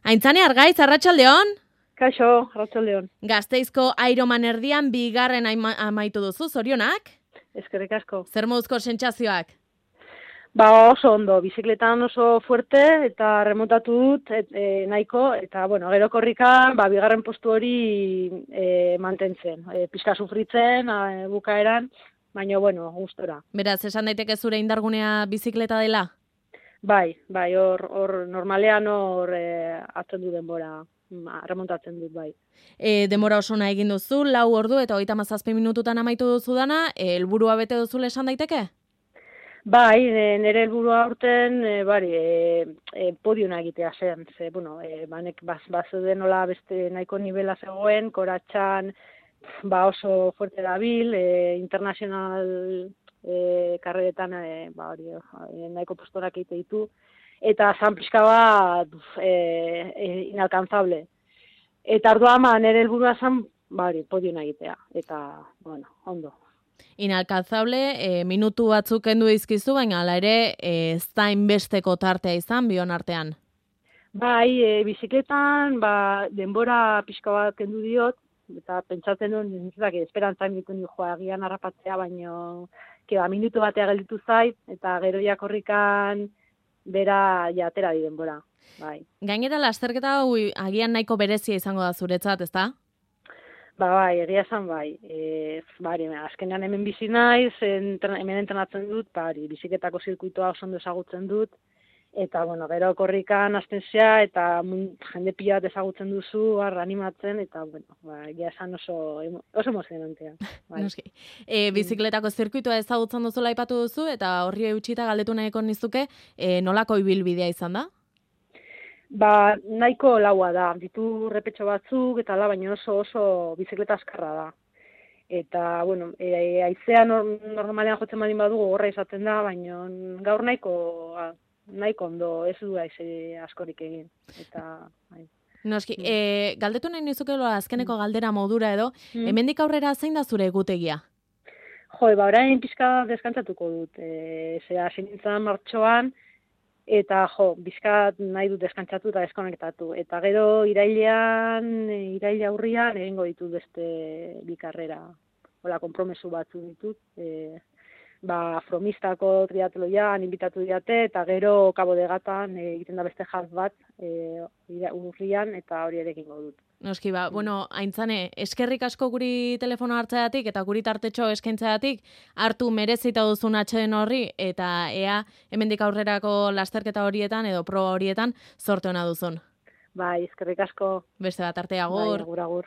Aintzane Argaiz, arratsaldeon. Kaixo, arratsaldeon. Gasteizko Ironman erdian bigarren amaitu duzu, zorionak? Eskerrik asko. Zer moduzko sentsazioak? Oso ondo, bizikletan oso fuerte eta remontatu dut nahiko, eta gero korrikan bigarren postu hori mantentzen. Pixka sufritzen, bukaeran, baina gustora. Beraz, esan daiteke zure indargunea bizikleta dela? Bai, hor normalean hartzen du denbora, remontatzen dut, bai. Denbora oso nahi egin duzu, 4 ordu eta 37 minututan amaitu duzu dana, helburua bete duzule esan daiteke? Bai, nire helburua aurten podiuna egitea zen. Banek bazeuden nola beste nahiko nivela zegoen, koratxan oso fuerte dabil, internazional karreretan nahiko postorak egite ditu, eta zan pixka bat inalcanzable. Eta orduan nire helburua zen podiuna egitea, eta ondo. Inalcanzable, minutu batzuk kendu dizkizu, baina hala ere ez da inbesteko tartea izan bion artean. Bai, bizikletan denbora pixka bat kendu diot, eta pentsatzen duen, esperantzan dituen agian harrapatzea, baina minutu batea gelditu zait, eta gero jakorrikan bera atera di denbora. Bai. Gainera, lasterketa hau agian nahiko berezia izango da zuretzat, ezta? Bai, egia esan bai. Azkenean hemen bizi naiz, hemen entrenatzen dut, bizikletako zirkuitoa oso ondo ezagutzen dut, eta gero korrikan hasten zea, eta jende pila bat ezagutzen duzu, animatzen, eta egia esan oso emozionantea. Bai. Bizikletako zirkuitoa ezagutzen duzula aipatu duzu, eta horri eutxita galdetu nahiko nizuke, nolako ibilbidea izan da? Nahiko laua da, ditu repetxo batzuk, eta baina oso bizikleta azkarra da. Eta, haizea normalean jotzen badin badugu gorra izaten da, baina gaur nahiko ondo ez du haize askorik egin. Eta, Noski, galdetu nahi nizuke azkeneko galdera modura edo, hemendik aurrera zein da zure egutegia? Orain pixka deskantzatuko dut. Hasi nintzen martxoan, eta bizkat nahi dut deskantzatu eta deskonektatu. Eta gero iraila aurrian egingo ditut beste bi karrera. Konpromesu batzu ditut. Fromistako triatloian inbitatu diate, eta gero Cabo de Gatan egiten da beste half bat urrian, eta hori ere egingo dut. Noski, Aintzane, eskerrik asko guri telefono hartzeatik eta guri tartetxo eskaintzeatik, hartu merezita duzun atxeden horri, eta ea hemendik aurrerako lasterketa horietan edo proba horietan zorte ona duzun. Bai, eskerrik asko. Beste bat arte, agur. Bai, agur.